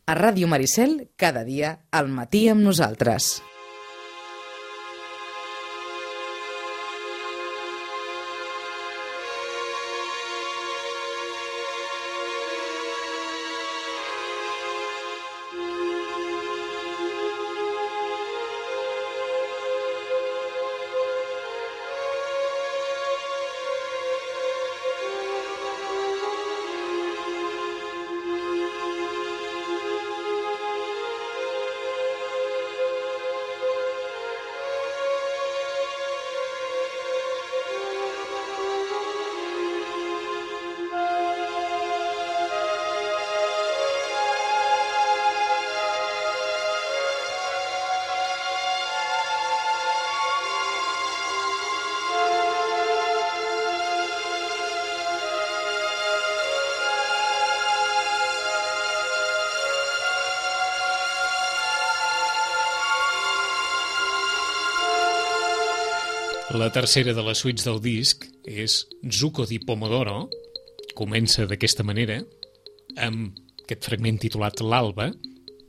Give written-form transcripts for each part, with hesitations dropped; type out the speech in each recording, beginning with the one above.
A Ràdio Maricel, cada dia, al matí amb nosaltres. La tercera de les suites del disc és Zucco di Pomodoro. Comença d'aquesta manera, amb aquest fragment titulat L'Alba,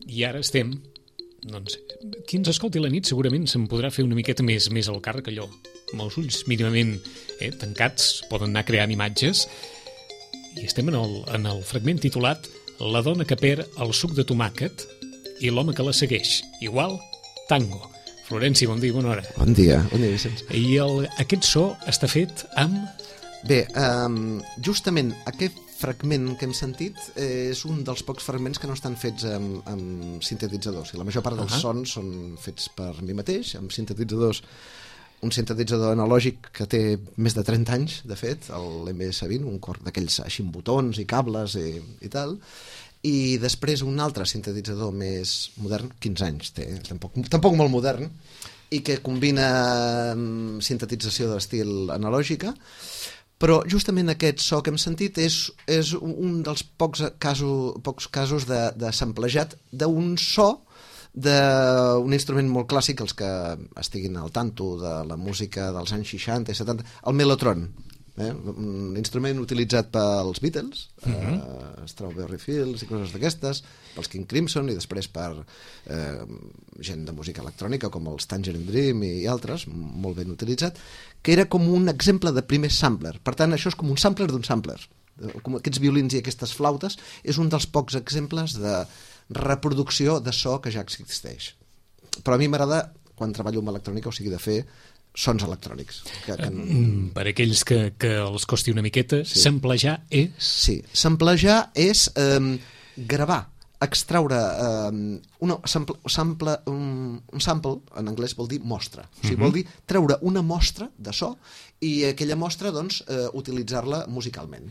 i ara estem... Doncs, qui ens escolti la nit segurament se'n podrà fer una miqueta més al càrrec, allò, amb els ulls mínimament tancats, poden anar creant imatges, i estem en el fragment titulat La dona que perd el suc de tomàquet i l'home que la segueix. Igual, tango. Florenci, bon dia, bona hora. Bon dia, Vicenç. I aquest so està fet amb... Bé, justament aquest fragment que hem sentit és un dels pocs fragments que no estan fets amb sintetitzadors. La major part dels sons són fets per mi mateix, amb sintetitzadors. Un sintetitzador analògic que té més de 30 anys, de fet, l'MS20, un cor d'aquells així amb botons i cables i tal. I després un altre sintetitzador més modern, 15 anys té, tampoc molt modern, i que combina sintetització d'estil analògica, però justament aquest so que hem sentit és un dels pocs casos de samplejat d'un so d'un instrument molt clàssic, els que estiguin al tanto de la música dels anys 60 i 70, el mellotron. Un instrument utilitzat pels Beatles, Strawberry Fields i coses d'aquestes, pels King Crimson i després per gent de música electrònica com els Tangerine Dream i altres, molt ben utilitzat, que era com un exemple de primer sampler. Per tant, això és com un sampler d'un sampler. Com aquests violins i aquestes flautes és un dels pocs exemples de reproducció de so que ja existeix. Però a mi m'agrada, quan treballo amb electrònica, o sigui, de fer sons electrònics. Per aquells que els costi una miqueta, sí. Samplejar és... Sí, samplejar és gravar, extraure un sample, en anglès vol dir mostra. O sigui, vol dir treure una mostra de so i aquella mostra, doncs, utilitzar-la musicalment.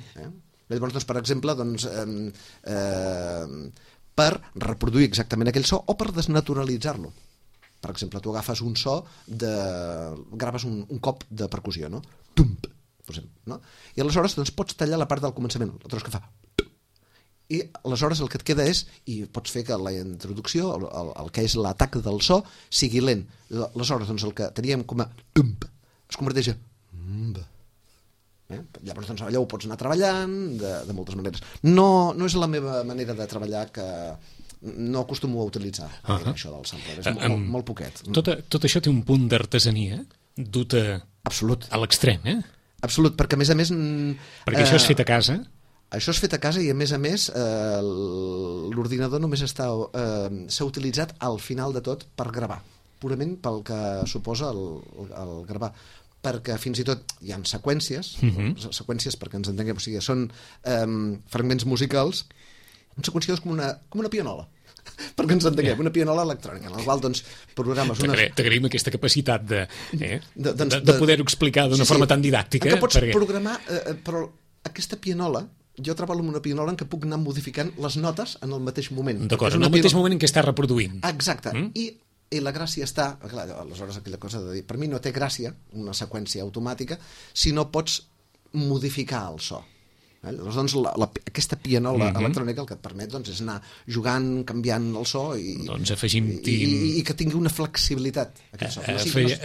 Llavors, doncs, per exemple, doncs, per reproduir exactament aquell so o per desnaturalitzar-lo. Per exemple, tu agafes un so, graves un cop de percussió, no? Tum, no? I aleshores doncs, pots tallar la part del començament, la tros que fa. I aleshores el que et queda és, i pots fer que la introducció, el que és l'atac del so, sigui lent. Aleshores, doncs, el que teníem com a tum, es converteix a llavors, doncs, allò ho pots anar treballant de moltes maneres. No és la meva manera de treballar, que no acostumo a utilitzar això del sampler, és molt poquet. Tot això té un punt d'artesania dut a l'extrem, Absolut, perquè a més... Perquè això és fet a casa? Això és fet a casa i a més l'ordinador només s'ha utilitzat al final de tot per gravar, purament pel que suposa el gravar, perquè fins i tot hi ha seqüències, seqüències perquè ens entenguem, o sigui, són fragments musicals, seqüenciadors com una pianola, perquè ens entenguem, una pianola electrònica, en la qual, doncs, programes unes... T'agraïm aquesta capacitat de poder-ho explicar d'una forma tan didàctica. Que pots programar, però aquesta pianola, jo treballo amb una pianola en què puc anar modificant les notes en el mateix moment. D'acord, en el mateix moment en què està reproduint. Exacte, i la gràcia està... Clar, aleshores, aquella cosa de dir, per mi no té gràcia una seqüència automàtica si no pots modificar el so. Llavors, doncs, aquesta pianola electrònica el que et permet doncs, és anar jugant, canviant el so doncs afegim-t'hi... i que tingui una flexibilitat aquest so.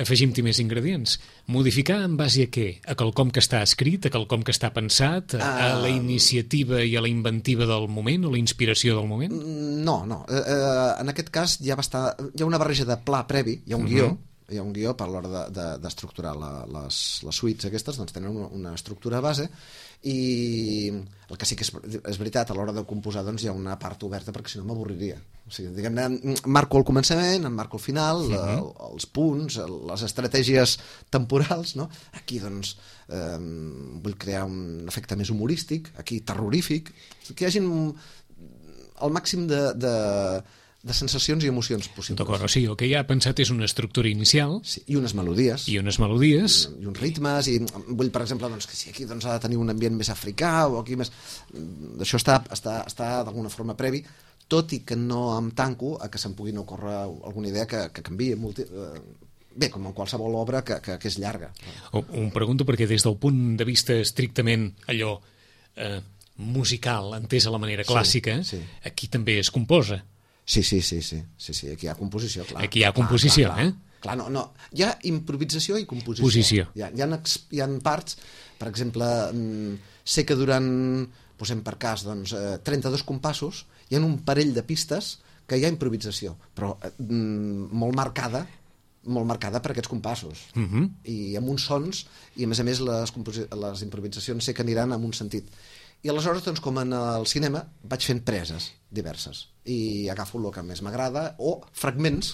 Afegim-t'hi més ingredients. Modificar en base a què? A quelcom que està escrit, a quelcom que està pensat, a la iniciativa i a la inventiva del moment o la inspiració del moment? No. En aquest cas hi ha una barreja de pla previ, hi ha un guió, per l'hora d'estructurar les suites aquestes, doncs tenen una estructura base, i el que sí que és veritat, a l'hora de composar doncs hi ha una part oberta perquè si no m'avorriria. O sigui, diguem-ne, marco al començament, en marco al final, els punts, les estratègies temporals, no? Aquí doncs vull crear un efecte més humorístic, aquí terrorífic, que hi hagi el màxim de sensacions i emocions possibles. D'acord, o sigui, el que ja ha pensat és una estructura inicial. Sí, i unes melodies. I unes melodies. I uns ritmes, i vull, per exemple, doncs, que si aquí doncs, ha de tenir un ambient més africà, o aquí més... Això està d'alguna forma previ, tot i que no em tanco a que se'm puguin ocórrer alguna idea que canviï. Bé, com en qualsevol obra que és llarga. Ho pregunto perquè des del punt de vista estrictament allò musical, entès a la manera clàssica, aquí també es composa. Sí, aquí hi ha composició, clar. Aquí hi ha composició, clar. Clar, no. Hi ha improvisació i composició. Hi ha parts, per exemple, sé que durant, posem per cas, doncs, 32 compassos, hi ha un parell de pistes que hi ha improvisació, però molt marcada per aquests compassos. I amb uns sons, i a més les improvisacions sé que aniran en un sentit. I aleshores, doncs, com en el cinema, vaig fent preses diverses i agafo el que més m'agrada o fragments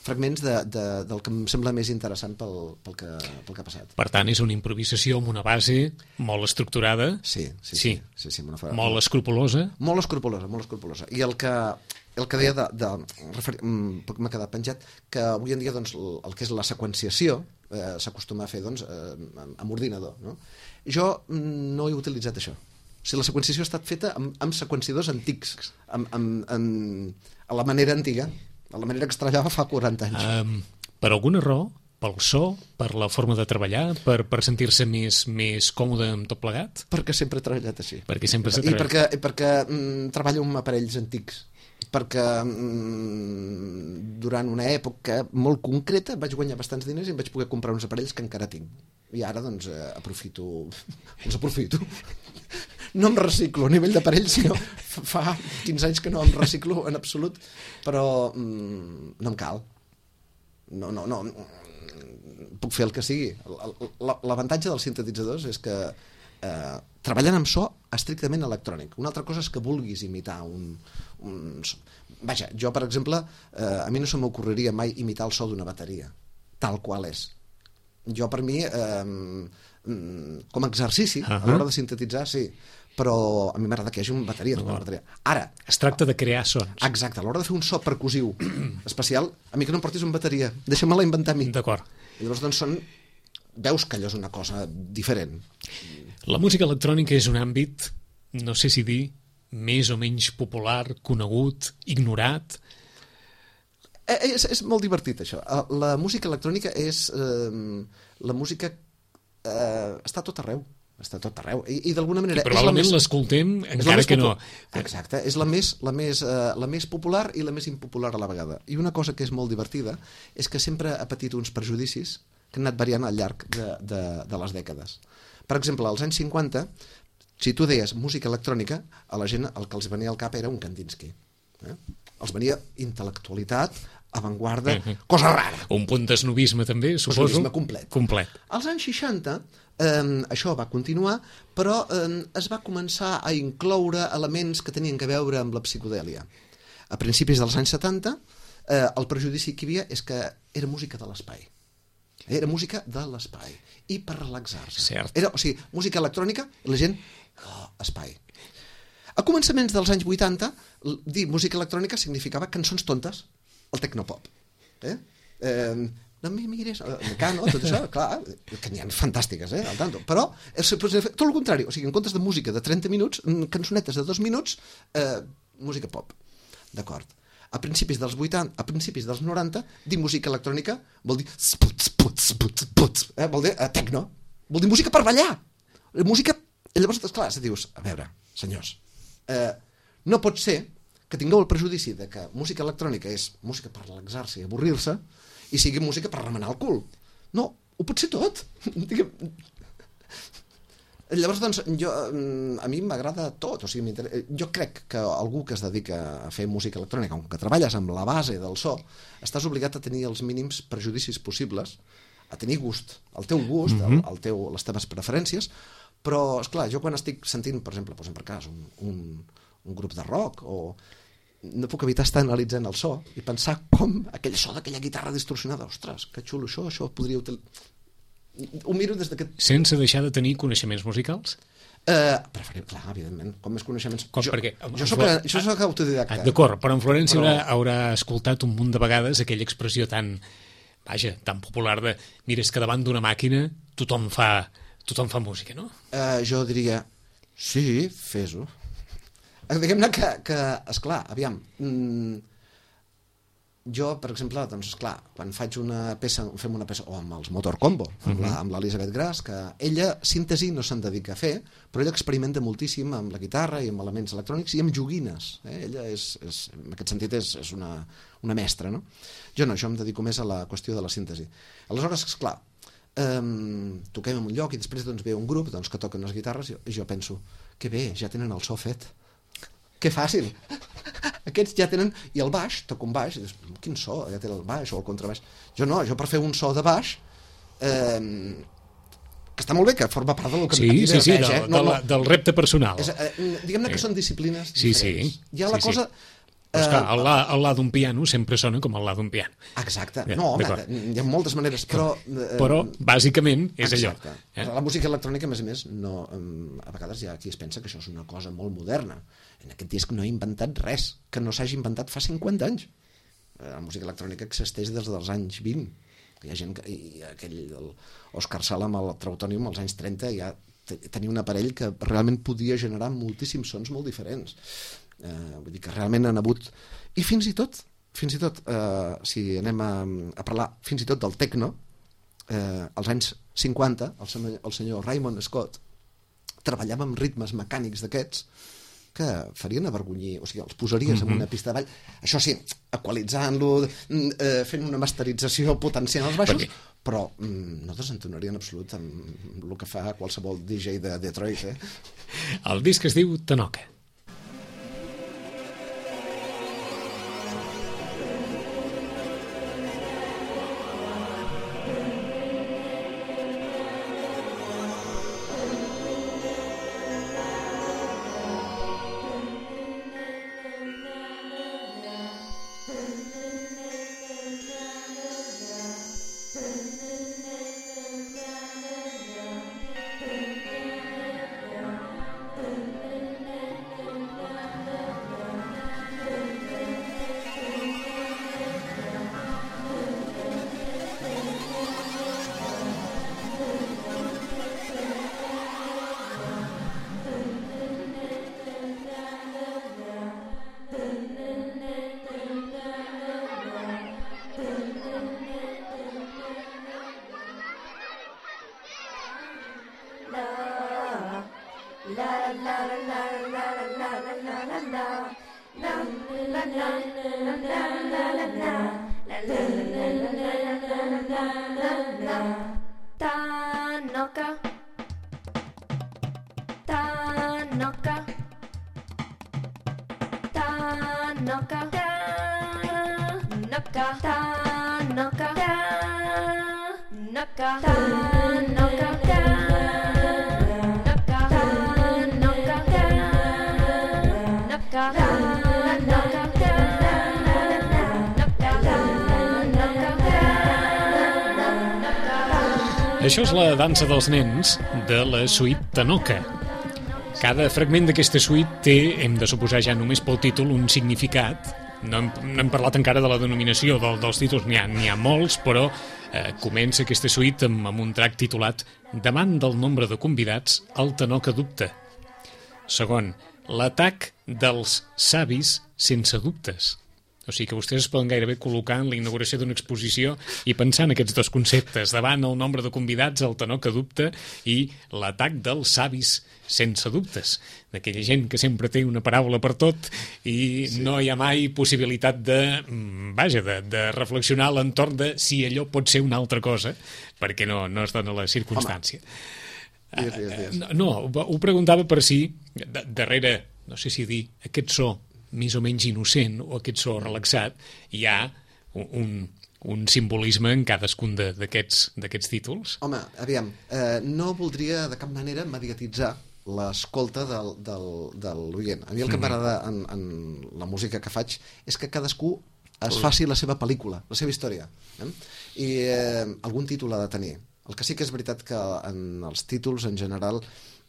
del que em sembla més interessant pel que ha passat. Per tant, és una improvisació amb una base molt estructurada. Sí. Molt escrupulosa. Molt escrupulosa. I el que deia m'ha quedat penjat, que avui en dia doncs, el que és la seqüenciació s'acostuma a fer doncs, amb ordinador. No? Jo no he utilitzat això. O sigui, la seqüenciació ha estat feta amb seqüenciadors antics, a la manera antiga, a la manera que es treballava fa 40 anys. Per alguna raó? Pel so? Per la forma de treballar? Per sentir-se més còmode amb tot plegat? Perquè sempre he treballat així. I perquè treballo amb aparells antics. Perquè durant una època molt concreta vaig guanyar bastants diners i em vaig poder comprar uns aparells que encara tinc. I ara, doncs, aprofito. No em reciclo a nivell d'aparells, sinó fa 15 anys que no em reciclo en absolut, però no em cal. No, puc fer el que sigui. L'avantatge dels sintetitzadors és que treballen amb so estrictament electrònic. Una altra cosa és que vulguis imitar un so. Vaja, jo, per exemple, a mi no se m'ocorreria mai imitar el so d'una bateria, tal qual és. Jo, per mi, com a exercici, a l'hora de sintetitzar, sí, però a mi m'agrada que hi hagi una bateria, Ara... Es tracta de crear sons. Exacte, a l'hora de fer un so percussiu especial, a mi que no em portis una bateria, deixa-me-la inventar a mi. D'acord. I llavors, doncs, veus que allò és una cosa diferent. La música electrònica és un àmbit, no sé si dir, més o menys popular, conegut, ignorat. És molt divertit, això. La música electrònica és... La música està a tot arreu. I d'alguna manera... I probablement l'escoltem encara que no. Exacte, és la més popular i la més impopular a la vegada. I una cosa que és molt divertida és que sempre ha patit uns prejudicis que han anat variant al llarg de les dècades. Per exemple, als anys 50, si tu deies música electrònica, a la gent el que els venia al cap era un Kandinsky. Els venia intel·lectualitat, avantguarda, cosa rara. Un punt d'esnobisme també, suposo. Esnobisme complet. Als anys 60 això va continuar, però es va començar a incloure elements que tenien que veure amb la psicodèlia. A principis dels anys 70, el prejudici que hi havia és que era música de l'espai. Era música de l'espai. I per relaxar-se. Cert. Era, o sigui, música electrònica i la gent... espai. A començaments dels anys 80, dir música electrònica significava cançons tontes, el tecnopop. No em mires, Mecano, tot això, clar, que n'hi ha fantàstiques, al tanto. Però tot el contrari, o sigui, en comptes de música de 30 minuts, cançonetes de 2 minuts, música pop. D'acord. A principis dels 80, a principis dels 90, dir música electrònica vol dir vol dir tecno, vol dir música per ballar, música I llavors, esclar, dius, a veure, senyors, no pot ser que tingueu el prejudici de que música electrònica és música per relaxar-se i avorrir-se i sigui música per remenar el cul. No, ho pot ser tot. Llavors, doncs, a mi m'agrada tot. O sigui, jo crec que algú que es dedica a fer música electrònica, com que treballes amb la base del so, estàs obligat a tenir els mínims prejudicis possibles, a tenir gust, el teu gust, les teves preferències, però, esclar, jo quan estic sentint, per exemple, posem per cas, un grup de rock, o no puc evitar estar analitzant el so i pensar com aquell so d'aquella guitarra distorsionada, ostres, que xulo això podria utilitzar... Ho miro des d'aquest... Sense deixar de tenir coneixements musicals? Preferim, clar, evidentment, com més coneixements... Jo soc autodidacta. D'acord, però en Florència haurà escoltat un munt de vegades aquella expressió tan popular de mira, és que davant d'una màquina tothom fa música, no? Jo diria, sí, fes-ho. Diguem-ne que esclar, aviam, jo, per exemple, doncs, esclar, quan fem una peça, o amb els Motor Combo, amb l'Elisabet Gras, que ella síntesi no se'n dedica a fer, però ella experimenta moltíssim amb la guitarra i amb elements electrònics i amb joguines. Ella en aquest sentit és una mestra, no? Jo em dedico més a la qüestió de la síntesi. Aleshores, esclar, toquem en un lloc i després ve un grup que toquen les guitarres i jo penso, que bé, ja tenen el so fet. Que fàcil. Aquests ja tenen... I el baix, toco un baix, i dius, quin so, ja té el baix o el contrabaix. Jo no, jo per fer un so de baix, que està molt bé, que forma part del que del repte personal. Diguem-ne que són disciplines diferents. Hi ha la cosa... Però esclar, el la d'un piano sempre sona com el la d'un piano. Exacte. No, home, hi ha moltes maneres, però... Però, bàsicament, és allò. La música electrònica, a més, a vegades hi ha qui es pensa que això és una cosa molt moderna. En aquest disc no he inventat res que no s'hagi inventat fa 50 anys. La música electrònica existeix des dels anys 20. Hi ha gent que... Òscar Sala amb el Trautònium als anys 30 ja tenia un aparell que realment podia generar moltíssims sons molt diferents. Vull dir que realment han hagut... I fins i tot, si anem a parlar fins i tot del techno, als anys 50, el senyor Raymond Scott treballava amb ritmes mecànics d'aquests que farien avergonyir, o sigui, els posaries en una pista de ball, això sí, equalitzant-lo, fent una masterització, potenciant els baixos, però no desentonaria en absolut amb el que fa qualsevol DJ de Detroit. El disc es diu Tanoka. Això és la dansa dels nens de la suite Tanoka. Cada fragment d'aquesta suite té, hem de suposar ja només pel títol, un significat. No hem parlat encara de la denominació dels títols, n'hi ha molts, però comença aquesta suite amb un track titulat Davant del nombre de convidats, el Tanoka dubta. Segon, l'atac dels savis sense dubtes. O sigui que vostès es poden gairebé col·locar en la inauguració d'una exposició i pensar en aquests dos conceptes, davant el nombre de convidats, el tenor que dubta i l'atac dels savis sense dubtes, d'aquella gent que sempre té una paraula per tot i no hi ha mai possibilitat de reflexionar a l'entorn de si allò pot ser una altra cosa, perquè no es dona la circumstància. No, ho preguntava per si darrere, no sé si dir, aquest so més o menys innocent o aquest so relaxat, hi ha un simbolisme en cadascun d'aquests títols. Home, aviam, no voldria de cap manera mediatitzar l'escolta de l'oient. A mi el que m'agrada en la música que faig és que cadascú es faci la seva pel·lícula, la seva història. I algun títol ha de tenir. El que sí que és veritat que en els títols, en general,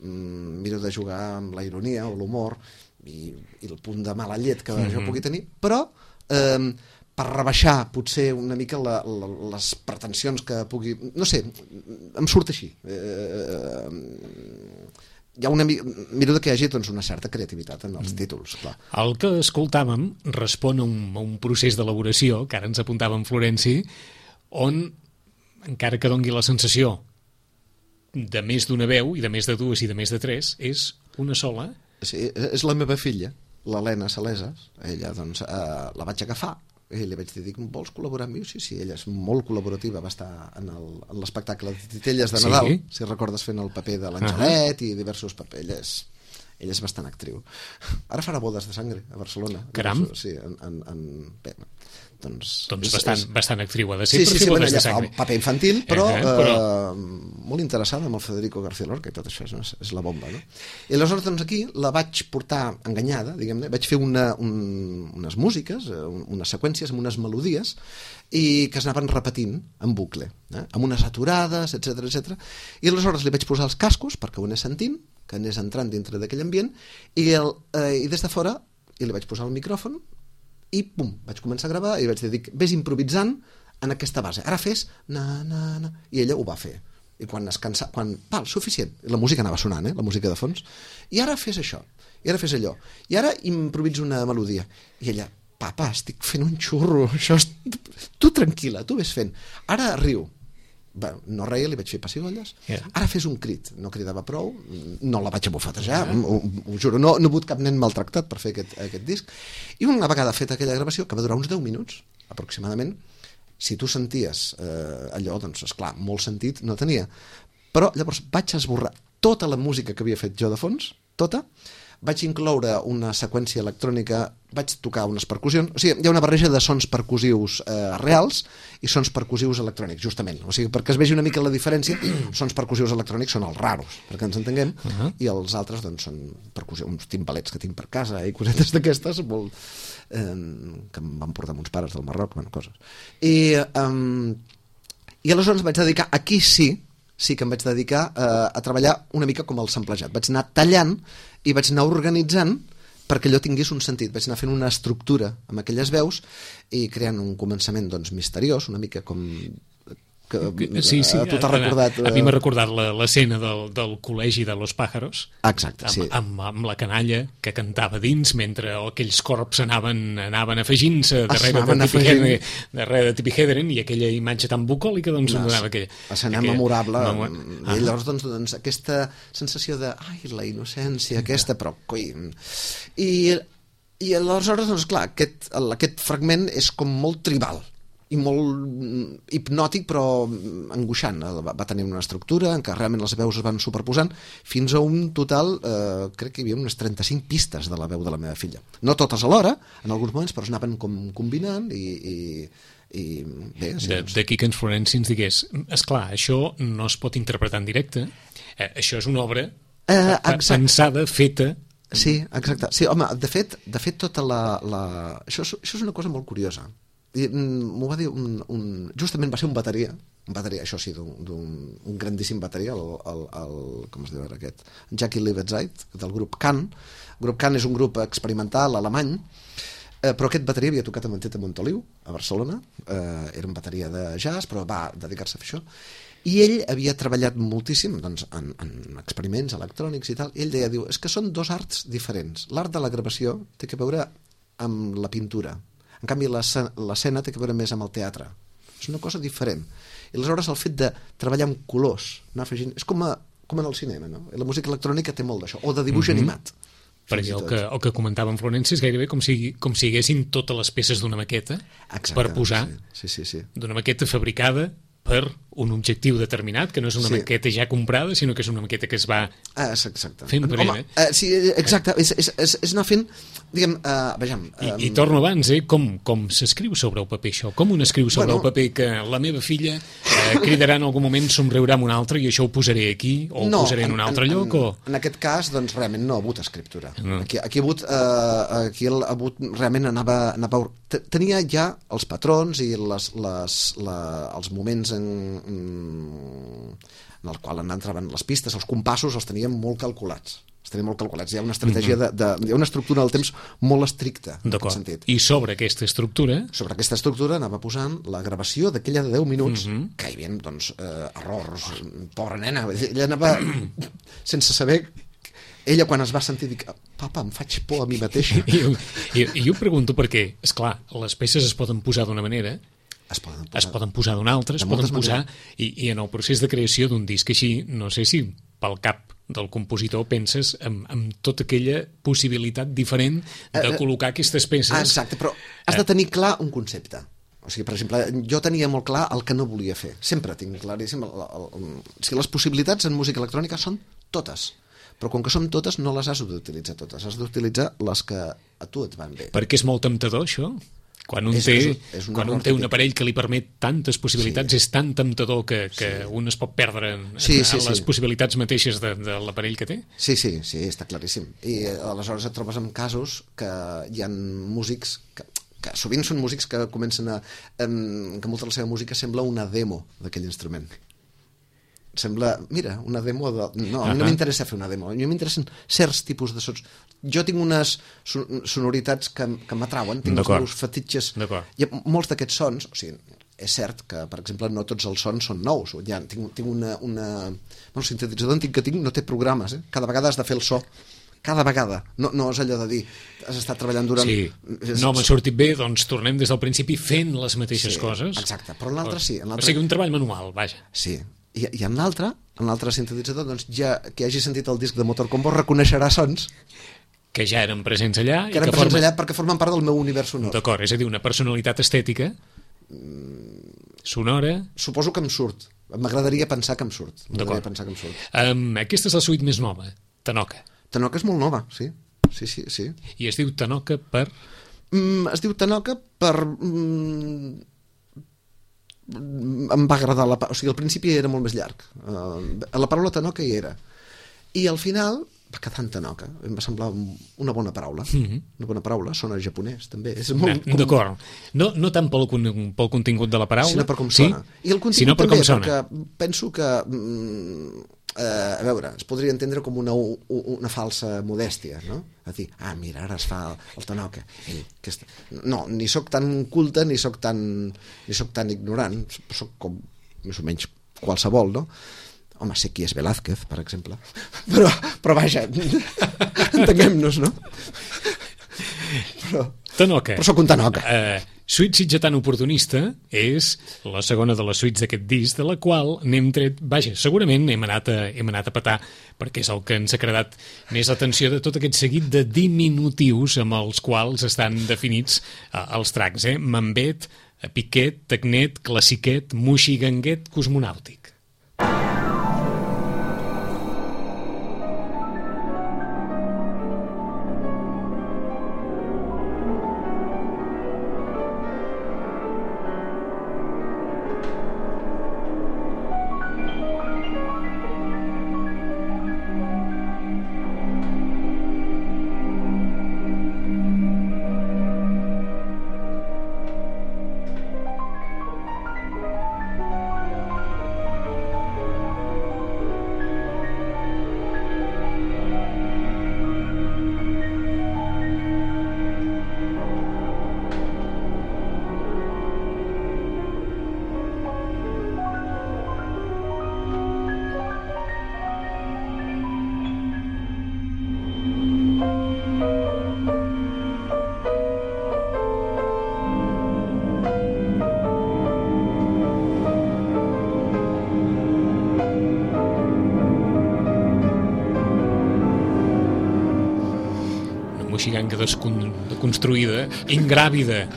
miro de jugar amb la ironia o l'humor i el punt de mala llet que jo pugui tenir, però per rebaixar potser una mica les pretensions que pugui... No sé, em surt així. Hi ha miro que hi hagi doncs, una certa creativitat en els títols, clar. El que escoltàvem respon a un procés d'elaboració, que ara ens apuntava en Florenci, on, encara que dongui la sensació de més d'una veu, i de més de dues i de més de tres, és una sola. Sí, és la meva filla, l'Helena Saleses. Ella, doncs, la vaig agafar i li vaig dir, vols col·laborar amb mi? Sí, ella és molt col·laborativa, va estar en l'espectacle de Titelles de Nadal, si recordes, fent el paper de l'Angelet i diversos papers. Ella és bastant actriu. Ara farà Bodes de Sangre a Barcelona. Caram! Sí, bé, doncs bastant actriu ha de ser. Sí, ella fa un paper infantil, però molt interessada amb el Federico García Lorca i tot això, és la bomba, no? I aleshores, doncs, aquí la vaig portar enganyada, diguem-ne, vaig fer unes músiques, unes seqüències amb unes melodies i que es anaven repetint en bucle, amb unes aturades, etc. I aleshores li vaig posar els cascos perquè ho anés sentint, que anés entrant dintre d'aquell ambient, i des de fora li vaig posar el micròfon i pum, vaig començar a gravar i vaig dir, vés improvisant en aquesta base, ara fes na, i ella ho va fer, i quan es cansa, suficient, la música anava sonant, la música de fons, i ara fes això, i ara fes allò, i ara improviso una melodia, i ella, papa, estic fent un xurro, tu tranquil·la, tu ves fent, ara riu. Bueno, no reia, li vaig fer pessigolles. Ara fes un crit, no cridava prou, no la vaig abofetejar, ho juro, no he hagut cap nen maltractat per fer aquest disc. I una vegada feta aquella gravació, que va durar uns 10 minuts aproximadament, si tu senties allò, doncs esclar, molt sentit no tenia, però llavors vaig esborrar tota la música que havia fet jo de fons, tota, vaig incloure una seqüència electrònica, vaig tocar unes percussions, o sigui, hi ha una barreja de sons percussius reals i sons percussius electrònics, justament, o sigui, perquè es vegi una mica la diferència, sons percussius electrònics són els raros, perquè ens entenguem, i els altres, doncs, són percussions, uns timbalets que tinc per casa i cosetes d'aquestes, que em van portar amb uns pares del Marroc, bueno, coses. I aleshores vaig dedicar, aquí sí que em vaig dedicar a treballar una mica com el samplejat. Vaig anar tallant i vaig anar organitzant perquè allò tingués un sentit. Vaig anar fent una estructura amb aquelles veus i creant un començament doncs, misteriós, una mica com... Sí, tu t'has recordat... A mi m'ha recordat l'escena del col·legi de Los Pájaros. Exacte, sí. Amb la canalla que cantava dins mentre aquells corps anaven afegint-se darrere de Tippi Hedren i aquella imatge tan bucòlica doncs donava aquella... Escena memorable. I llavors doncs, aquesta sensació de la innocència aquesta, però coi... I aleshores, doncs clar, aquest fragment és com molt tribal i molt hipnòtic però angoixant. Va tenir una estructura en què realment les veus es van superposant fins a un total, crec que hi havia unes 35 pistes de la veu de la meva filla. No totes alhora, en alguns moments, però es anaven com combinant i bé... D'aquí que en Florenci ens digués, esclar, això no es pot interpretar en directe, això és una obra pensada, feta... Sí, exacte. Sí, home, de fet tota això és una cosa molt curiosa. M'ho va dir justament va ser un bateria, això sí, d'un grandíssim bateria, com es diu ara aquest, Jackie Liebetzeit, del grup Can. El grup Can és un grup experimental alemany, però aquest bateria havia tocat amb en Tete Montoliu a Barcelona, era un bateria de jazz, però va dedicar-se a fer això, i ell havia treballat moltíssim doncs, en experiments electrònics i tal, i ell deia, és que són dos arts diferents. L'art de la gravació té a veure amb la pintura. En canvi, l'escena té que veure més amb el teatre. És una cosa diferent. I aleshores el fet de treballar amb colors, anar afegint... És com en el cinema, no? I la música electrònica té molt d'això, o de dibuix animat. Perquè el que comentava en Florenci és gairebé com si hi haguessin totes les peces d'una maqueta. Exacte, per posar, sí. D'una maqueta fabricada per un objectiu determinat, que no és una maqueta ja comprada, sinó que és una maqueta que es va fent per ell. Sí, exacte, és anar fent, diguem, vejam... I torno abans, com s'escriu sobre el paper això? Com un escriu sobre el paper que la meva filla cridarà en algun moment, somriurà amb un altre i això ho posaré aquí, o ho posaré en un altre lloc? En aquest cas, doncs, realment no ha hagut escriptura. Aquí ha hagut realment anava... Tenia ja els patrons i els moments en el qual entraven les pistes, els compassos els teníem molt calculats. Hi ha una estratègia, hi ha una estructura del temps molt estricta, en aquest sentit. I sobre aquesta estructura? Sobre aquesta estructura anava posant la gravació d'aquella de 10 minuts, que hi havia, doncs, errors, pobra nena, ella anava sense saber... Ella, quan es va sentir, dic, papa, em faig por a mi mateixa. I jo pregunto perquè, esclar, les peces es poden posar d'una manera, es poden posar d'una altra, es poden posar... I en el procés de creació d'un disc així, no sé si pel cap del compositor penses en tota aquella possibilitat diferent de col·locar aquestes peces. Exacte, però has de tenir clar un concepte. O sigui, per exemple, jo tenia molt clar el que no volia fer. Sempre tinc claríssim... Les possibilitats en música electrònica són totes. Però com que som totes, no les has d'utilitzar totes. Has d'utilitzar les que a tu et van bé. Perquè és molt temptador, això? Quan un té un aparell que li permet tantes possibilitats, és tan temptador que un es pot perdre en les possibilitats mateixes de l'aparell que té? Sí, està claríssim. I aleshores et trobes amb casos que hi ha músics que sovint són músics que comencen que molta de la seva música sembla una demo d'aquell instrument. Sembla, mira, una demo a mi no m'interessa fer una demo, a mi m'interessen certs tipus de sons. Jo tinc unes sonoritats que m'atrauen, tinc els meus fetitxes. Hi ha molts d'aquests sons, o sigui, és cert que, per exemple, no tots els sons són nous. Tinc el sintetitzador antic que tinc no té programes, cada vegada has de fer el so. Cada vegada, no és allò de dir has estat treballant durant... No m'ha sortit bé, doncs tornem des del principi fent les mateixes coses. Exacte, però en l'altre sí. O sigui, un treball manual, vaja. Sí, i en l'altre sintetitzador, doncs ja que hagi sentit el disc de Motor Combo reconeixerà sons que ja eren presents allà. Que eren presents allà perquè formen part del meu univers sonor. D'acord, és a dir, una personalitat estètica, sonora... Suposo que em surt. M'agradaria pensar que em surt. Aquesta és la suite més nova, Tanoka. Tanoka és molt nova, sí. I es diu Tanoka per... Es diu Tanoka per... Em va agradar o sigui, al principi era molt més llarg. La paraula Tanoka hi era. I al final va quedar en Tanoka. Em va semblar una bona paraula. Una bona paraula, sona japonès, també. D'acord. No tant pel contingut de la paraula, sinó per com sona. I el contingut també, perquè penso que... a veure, es podria entendre com una falsa modèstia, no? A dir, mira, ara es fa el Tanoka. No, ni sóc tan culte ni sóc tan ignorant, sóc com més o menys qualsevol, no? Home, sé qui és Velázquez, per exemple, però vaja, entenguem-nos, no? Tanoka. Però sóc un Tanoka. Suite sitgetant oportunista és la segona de les suites d'aquest disc, de la qual n'hem tret... Vaja, segurament hem anat a petar, perquè és el que ens ha creat més l'atenció de tot aquest seguit de diminutius amb els quals estan definits els tracks. Mambet, Piquet, Tecnet, Classiquet, Moixiganguet, Cosmonàutic. vinga desconstruïda, ingràvida,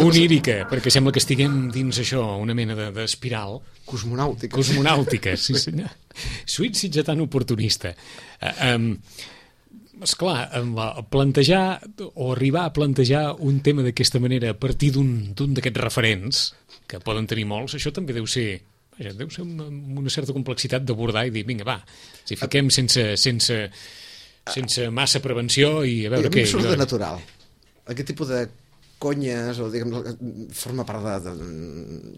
onírica, perquè sembla que estiguem dins això, una mena d'espiral. Cosmonàutica, sí senyor. Suite sitgetant oportunista. Esclar, plantejar o arribar a plantejar un tema d'aquesta manera a partir d'un d'aquests referents, que poden tenir molts, això també deu ser una certa complexitat d'abordar i dir, vinga, va, si fiquem sense massa prevenció i a veure què. I a mi surt de natural. Aquest tipus de conyes, o diguem, forma part de...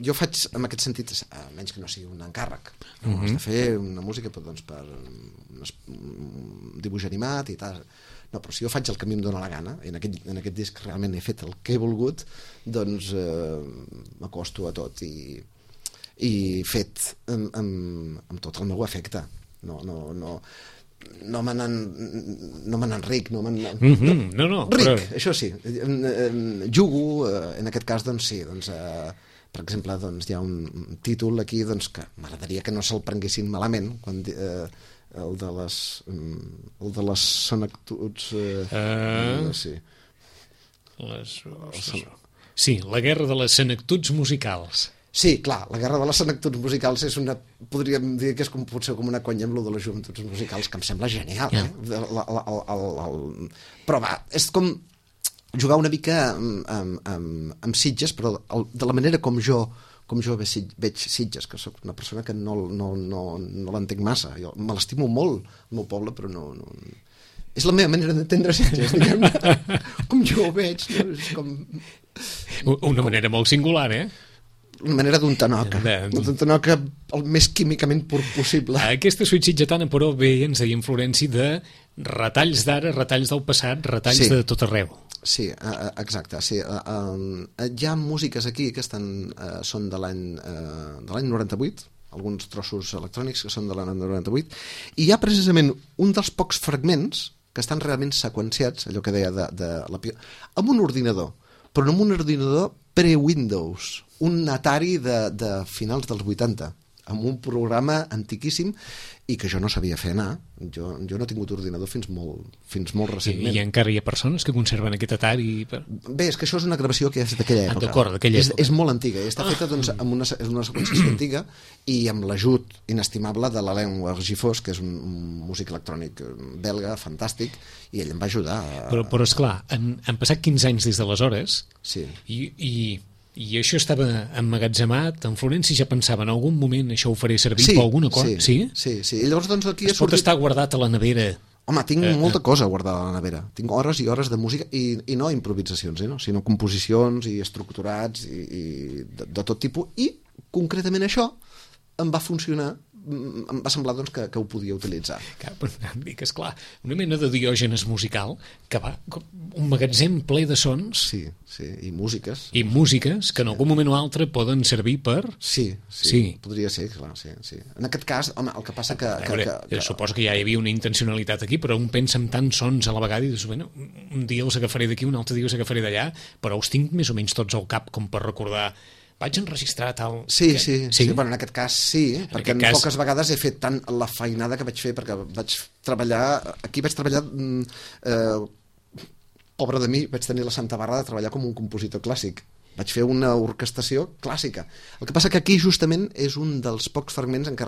Jo faig, en aquest sentit, menys que no sigui un encàrrec. Has de fer una música doncs, per un dibuix animat i tal. No, però si jo faig el que a mi em dóna la gana, en aquest disc realment he fet el que he volgut, doncs m'acosto a tot i fet amb tot el meu afecte. No me n'enric, No, ric, però... això sí, jugo, en aquest cas, doncs sí, per exemple, doncs, hi ha un títol aquí doncs, que m'agradaria que no se'l prenguessin malament, quan el de les senectuds... Sí, la guerra de les senectuds musicals. Sí, clar, la guerra de les senectuds musicals és podríem dir que és potser com una conya amb lo de les joventuts musicals, que em sembla genial, però va, és com jugar una mica amb Sitges, però de la manera com jo veig Sitges, que sóc una persona que no l'entenc massa. Jo me l'estimo molt, el meu poble, però no... És la meva manera d'entendre Sitges, diguem-ne. Com jo ho veig, no? És com... Una manera molt singular, Una manera d'un tanoca. D'un tanoca el més químicament pur possible. Aquesta suite sitgetana, però, bé, ens deia en Florenci, de retalls d'ara, retalls del passat, retalls de tot arreu. Sí, exacte. Sí. Hi ha músiques aquí que són de l'any 98, alguns trossos electrònics que són de l'any 98, i hi ha precisament un dels pocs fragments que estan realment seqüenciats, allò que deia amb un ordinador, però no amb un ordinador pre-Windows, un Atari de finals dels 80, amb un programa antiquíssim i que jo no sabia fer anar. Jo no he tingut ordinador fins molt recentment. I encara hi ha persones que conserven aquest Atari? Bé, és que això és una gravació que és d'aquella època. D'acord, d'aquella època. És molt antiga, i està feta doncs, amb una seqüenciació antiga i amb l'ajut inestimable de l'Alain Argifós, que és un músic electrònic belga, fantàstic, i ell em va ajudar. Però esclar, han passat 15 anys des d'aleshores, sí. I això estava emmagatzemat, en Florenci ja pensava en algun moment això ho faré servir per alguna cosa. Sí. I llavors doncs aquí pot estar guardat a la nevera. Home, tinc molta cosa guardada a la nevera. Tinc hores i hores de música i no improvisacions, sinó composicions i estructurats i de tot tipus. I concretament això em va funcionar, em va semblar doncs, que ho podia utilitzar. Dic, esclar, una mena de Diògenes musical que va un magatzem ple de sons. Sí, i músiques. I músiques que en algun moment o altre poden servir per... Sí, podria ser, clar, sí. En aquest cas, home, el que passa que... Suposo que ja hi havia una intencionalitat aquí, però un pensa en tants sons a la vegada i dius, bueno, un dia els agafaré d'aquí, un altre dia els agafaré d'allà, però els tinc més o menys tots al cap com per recordar... Vaig enregistrar tal... Sí. Bueno, en aquest cas sí, perquè poques vegades he fet tant la feinada que vaig fer, perquè vaig treballar pobre de mi, vaig tenir la santa barra de treballar com un compositor clàssic. Vaig fer una orquestació clàssica. El que passa que aquí justament és un dels pocs fragments en què...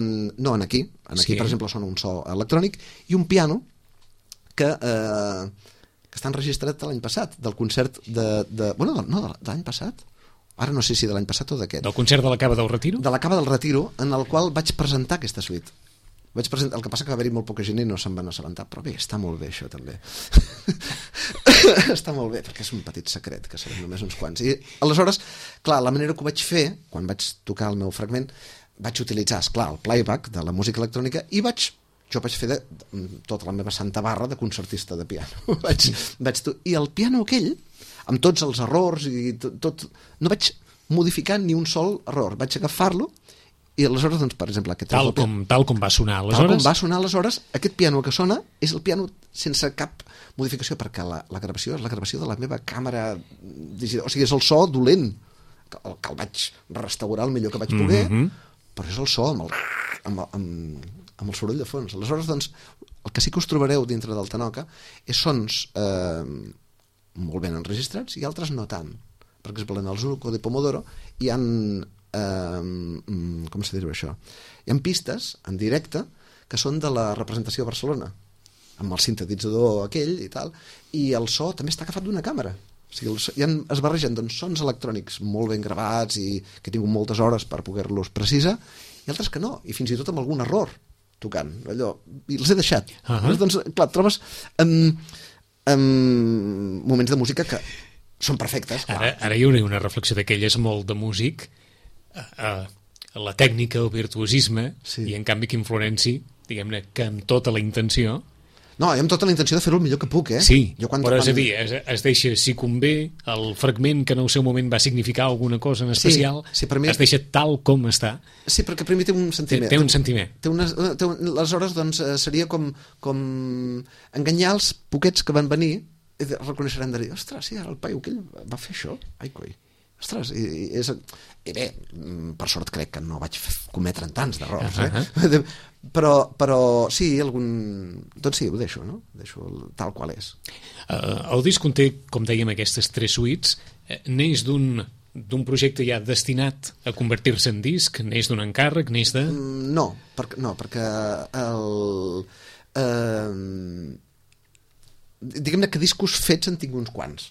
no, aquí, per exemple, sona un so electrònic i un piano que està enregistrat l'any passat, del concert de l'any passat? Ara no sé si de l'any passat o d'aquest. Del concert de la Cava del Retiro? De la Cava del Retiro, en el qual vaig presentar aquesta suite. El que passa que va haver-hi molt poca gent i no se'n van assabentar, però bé, està molt bé això també. Està molt bé, perquè és un petit secret, que serem només uns quants. I aleshores, clar, la manera que ho vaig fer, quan vaig tocar el meu fragment, vaig utilitzar, esclar, el playback de la música electrònica i jo vaig fer tota la meva santa barra de concertista de piano. I el piano aquell, amb tots els errors i tot, no vaig modificar ni un sol error, vaig agafar-lo i aleshores, doncs, per exemple, tal com va sonar aleshores. Tal com va sonar aleshores, aquest piano que sona és el piano sense cap modificació, perquè la gravació és la gravació de la meva càmera digital, o sigui, és el so dolent, que el vaig restaurar el millor que vaig poder, però és el so amb el soroll de fons. Aleshores, doncs, el que sí que us trobareu dintre del Tanoka és sons molt ben enregistrats i altres no tant. Per exemple, en el Zuko de Pomodoro hi ha com se diu això? Hi ha pistes en directe que són de la representació a Barcelona, amb el sintetitzador aquell i tal, i el so també està agafat d'una càmera. O sigui, es barregen doncs, sons electrònics molt ben gravats i que he tingut moltes hores per poder-los precisar, i altres que no, i fins i tot amb algun error tocant, allò, i els he deixat. Doncs, clar, trobes moments de música que són perfectes. Ara hi haurà una reflexió d'aquelles molt de músic, la tècnica, el virtuosisme, i en canvi Quim Florenci, diguem-ne que amb tota la intenció... No, amb tota la intenció de fer-ho el millor que puc, Sí, però és a dir, es deixa, si convé, el fragment que en el seu moment va significar alguna cosa en especial, es deixa tal com està. Sí, perquè primer té un sentiment. Té un sentiment. Aleshores, doncs, seria com enganyar els poquets que van venir i reconeixeran de dir, ostres, sí, ara el paio aquell va fer això, ai coi. Ostres, i bé, per sort crec que no vaig cometre tants d'errors, però sí, doncs sí, ho deixo, no? Deixo tal qual és. El disc conté, com dèiem, aquestes 3 suites, neix d'un projecte ja destinat a convertir-se en disc, neix d'un encàrrec, neix de... No, perquè diguem-ne que discos fets en tinc uns quants,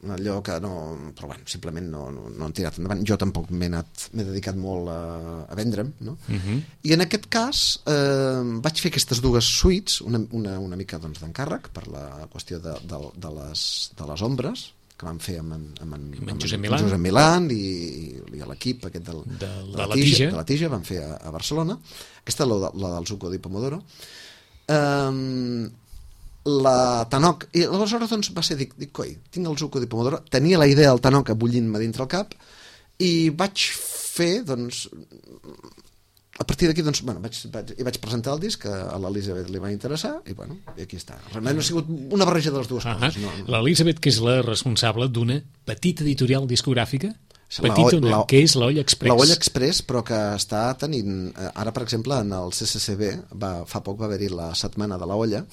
allò que no, però bueno, simplement no han tirat endavant. Jo tampoc m'he dedicat molt a vendre'm, no? I en aquest cas vaig fer aquestes 2 suites, una mica doncs, d'encàrrec per la qüestió de les ombres que vam fer amb Josep Milán i l'equip aquest de la Tija vam fer a Barcelona. Aquesta la del Zuko di Pomodoro, la Tanoka, i aleshores doncs va ser, dic, coi, tinc el Zuko di Pomodoro, tenia la idea del Tanoka bullint-me dintre el cap i vaig fer, doncs a partir d'aquí, doncs, bueno, vaig presentar el disc, a l'Elisabet li va interessar i bueno, i aquí està. Realment ha sigut una barreja de les dues coses. L'Elisabet, que és la responsable d'una petita editorial discogràfica, que és l'Olla Express. L'Olla Express, però que està tenint, ara per exemple en el CCCB fa poc va haver-hi la setmana de l'Olla,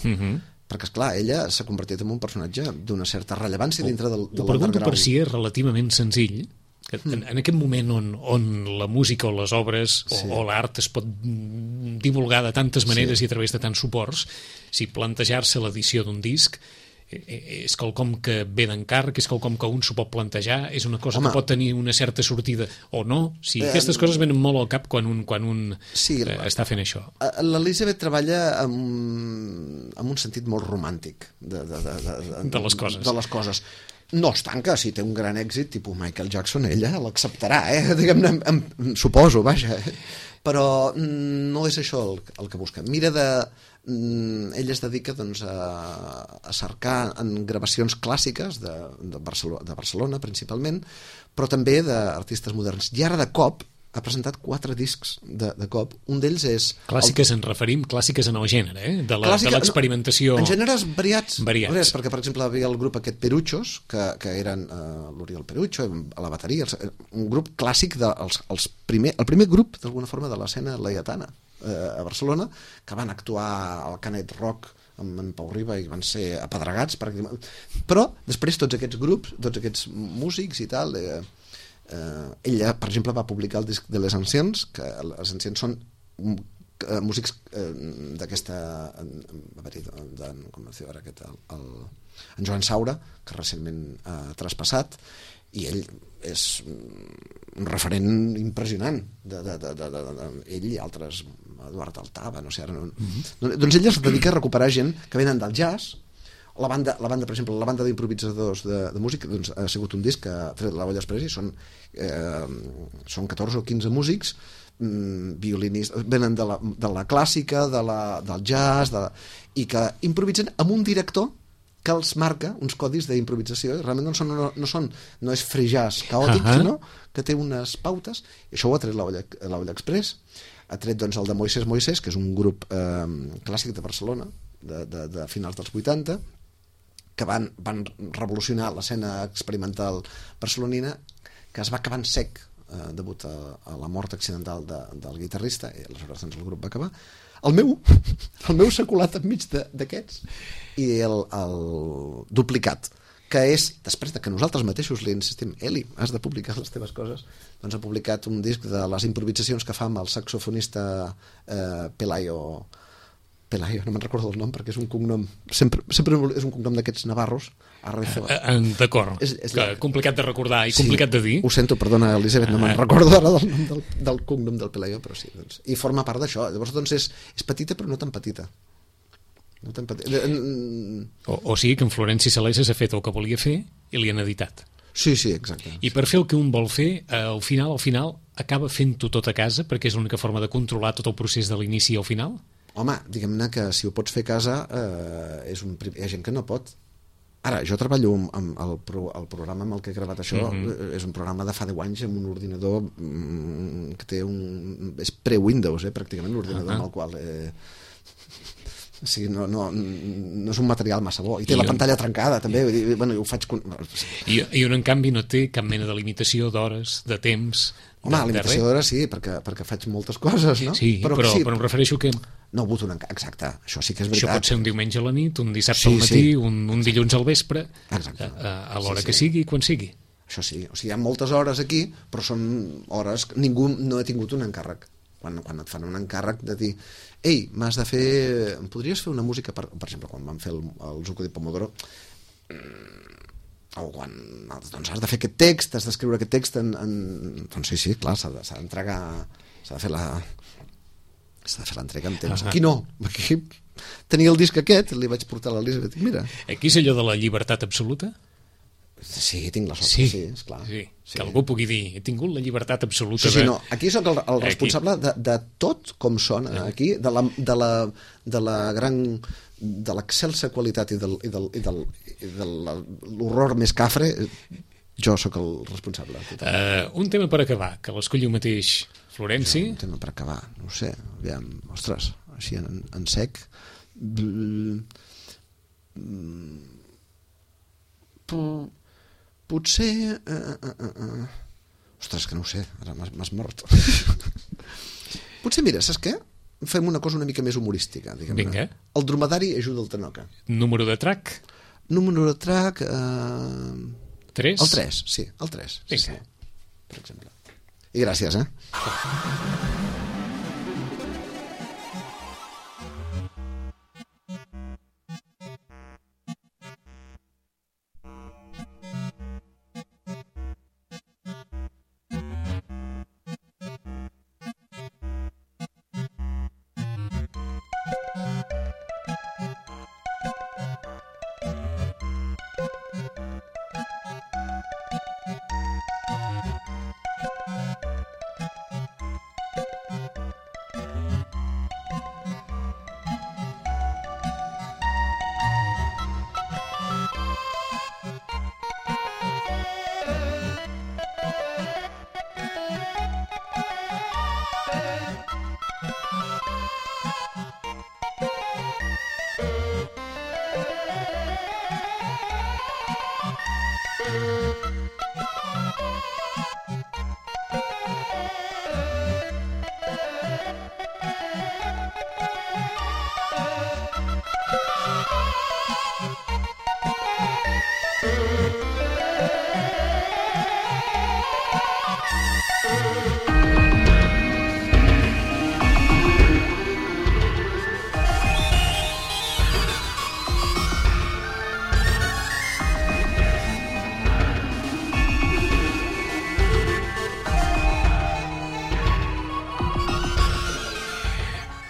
perquè esclar, ella s'ha convertit en un personatge d'una certa rellevància dintre del underground. Ho pregunto per si és relativament senzill, que en aquest moment on la música o les obres o l'art es pot divulgar de tantes maneres i a través de tants suports, si plantejar-se l'edició d'un disc és quelcom que ve d'encàrrec, és quelcom que un s'ho pot plantejar, és una cosa que pot tenir una certa sortida o no. Sí, aquestes coses venen molt al cap quan un està fent això. L'Elisabet treballa amb un sentit molt romàntic de les coses. No es tanca, si té un gran èxit tipus Michael Jackson, ella l'acceptarà, diguem-ne, suposo, vaja, però no és això el que busca. Ella es dedica doncs, a cercar en gravacions clàssiques de Barcelona principalment, però també d'artistes moderns, i ara de cop ha presentat 4 discs de cop. Un d'ells és... Clàssiques ens referim, clàssiques en el gènere, de l'experimentació... En gèneres variats, perquè per exemple hi havia el grup aquest Peruchos, que eren l'Oriol Perucho, a la bateria, un grup clàssic, el primer grup d'alguna forma de l'escena laietana a Barcelona, que van actuar al Canet Rock amb en Pau Riba i van ser apedregats, però després tots aquests grups, tots aquests músics i tal... ella, per exemple, va publicar el disc de Les Anciens, que Les Anciens són músics d'aquesta com es diu ara aquest, en Joan Saura, que recentment ha traspassat, i ell és un referent impressionant ell i altres, Eduard Altava, no sé ara doncs ella es dedica a recuperar gent que venen del jazz. La banda, per exemple, la banda d'improvisadors de música, doncs, ha sigut un disc que ha tret l'Olla Express i són 14 o 15 músics, violinistes, venen de la clàssica, del jazz, i que improvisen amb un director que els marca uns codis d'improvisació, i realment no és free jazz caòtic, sinó que té unes pautes, i això ho ha tret l'Olla Express. Ha tret doncs, el de Moisés, que és un grup clàssic de Barcelona, de finals dels 80, que van revolucionar l'escena experimental barcelonina, que es va acabar en sec degut a la mort accidental del guitarrista, i aleshores doncs, el grup va acabar. el meu s'ha colat enmig d'aquests, i el duplicat, que és, després de que nosaltres mateixos li insistim, Eli, has de publicar les teves coses, doncs ha publicat un disc de les improvisacions que fa amb el saxofonista Pelayo, no me'n recordo el nom perquè és un cognom, sempre és un cognom d'aquests navarros. D'acord, complicat de recordar i complicat de dir. Ho sento, perdona, Elisabet, no me'n recordo ara del nom del cognom del Pelayo, però sí, doncs, i forma part d'això. Llavors, doncs, és petita però no tan petita. O sigui que en Florenci Salesses ha fet el que volia fer i li han editat. Sí, exacte. I per fer el que un vol fer, al final acaba fent-ho tot a casa perquè és l'única forma de controlar tot el procés de l'inici al final? Home, diguem-ne que si ho pots fer a casa hi ha gent que no pot. Ara, jo treballo amb el programa amb el que he gravat això, és un programa de fa 10 anys amb un ordinador que té és pre-Windows, pràcticament l'ordinador amb el qual... O sigui, no és un material massa bo. I té la pantalla trencada, també. Vull dir, bueno, ho faig... I on, en canvi, no té cap mena de limitació d'hores, de temps... Home, la limitació d'hores sí, perquè faig moltes coses, no? Sí, però em refereixo que... No ho voto exacte, això sí que és veritat. Això pot ser un diumenge a la nit, un dissabte al matí, un dilluns al vespre, a l'hora que sigui, quan sigui. Això sí, o sigui, hi ha moltes hores aquí, però són hores que ningú no ha tingut un encàrrec. Quan et fan un encàrrec de dir ei, m'has de fer... Em podries fer una música, per exemple, quan vam fer el Zucco di Pomodoro, o quan doncs has de fer aquest text, has d'escriure aquest text doncs sí, clar, s'ha d'entregar, s'ha de fer l'entrega amb temps. Aquí no, aquí tenia el disc aquest, li vaig portar a l'Elisabet i mira. Aquí és allò de la llibertat absoluta? Sí, tinc la sort, sí, esclar. Sí. Que algú pugui dir, he tingut la llibertat absoluta. Sí, no, aquí sóc el responsable de tot com sona, aquí, de la gran... de l'excelsa qualitat i de l'horror més cafre, jo sóc el responsable. Un tema per acabar, que l'escolliu mateix Florenci. Un tema per acabar, no ho sé, aviam, ostres, així en sec... Potser... Ostres, que no ho sé, ara m'has mort. Potser, mira, saps què? Fem una cosa una mica més humorística, diguem-ne. Vinga. El dromedari ajuda el Tanoca. Número de track? Número de track... 3? El 3, sí, el 3. Vinga. Sí, per exemple. I gràcies,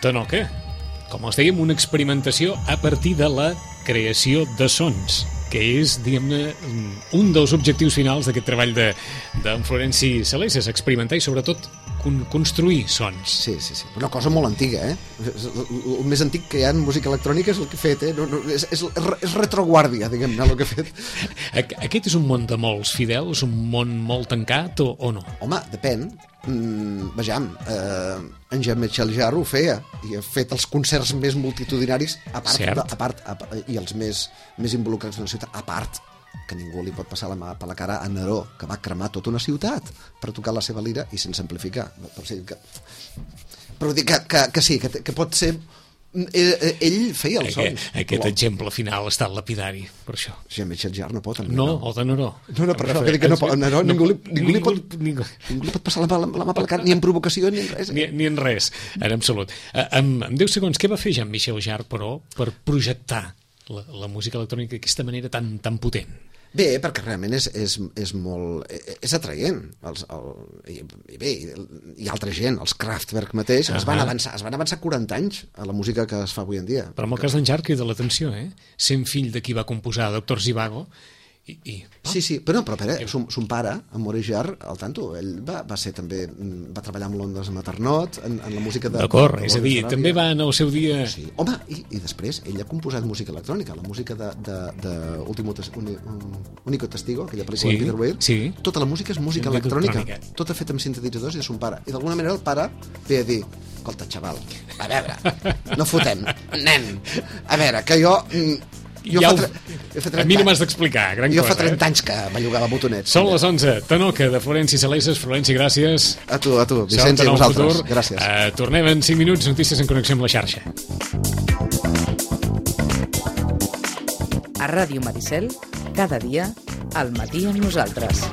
Tanoca, com els dèiem, una experimentació a partir de la creació de sons, que és, diguem-ne, un dels objectius finals d'aquest treball d'en Florenci Salesses, experimentar i, sobretot, construir sons. Sí. Una cosa molt antiga, El més antic que hi ha en música electrònica és el que he fet, És retroguàrdia, diguem-ne, el que he fet. Aquest és un món de molts, Fidel? És un món molt tancat o no? Home, depèn. Vejam, en Jean-Michel Jarre ho feia i ha fet els concerts més multitudinaris a part i els més involucrats d'una ciutat, a part que ningú li pot passar la mà per la cara a Neró, que va cremar tota una ciutat per tocar la seva lira i sense amplificar. Però dic que sí, que pot ser... Ell feia els sons. Aquest exemple final ha estat lapidari, per això. Jean-Michel Jarre no pot. No, o de Neró. No, per això, que no pot. Neró, ningú li pot passar la mà per la cara, ni en provocació, ni en res. Ni en res, en absolut. En 10 segons, què va fer Jean-Michel Jarre, però, per projectar la música electrònica d'aquesta manera tan potent? Bé, perquè realment és molt... és atraient. I bé, hi ha altra gent, els Kraftwerk mateix, es van avançar 40 anys a la música que es fa avui en dia. Però en el cas d'en Jarre crida l'atenció, sent fill de qui va composar Doctor Zhivago, Sí, però espera, son pare, en Maurice Jarre, al tanto, ell va ser també, va treballar amb Londres Maternot, en la música de... D'acord, és a dir, també va en el seu dia... Sí. Home, i després ell ha composat música electrònica, la música de Único Testigo, aquella pel·lícula de Peter Weir, tota la música és música electrònica, tota feta amb sintetitzadors i de son pare. I d'alguna manera el pare ve a dir, escolta, xaval, a veure, no fotem, nen, a veure, que jo a mi no m'has d'explicar, gran cosa. Jo fa 30 anys que bellugava botonets. Són les 11, Tanoca, de Florenci Saleses. Florenci, gràcies. A tu, Vicenç, i a vosaltres. Gràcies. Tornem en 5 minuts, notícies en connexió amb la xarxa. A Ràdio Maricel, cada dia, al matí amb nosaltres.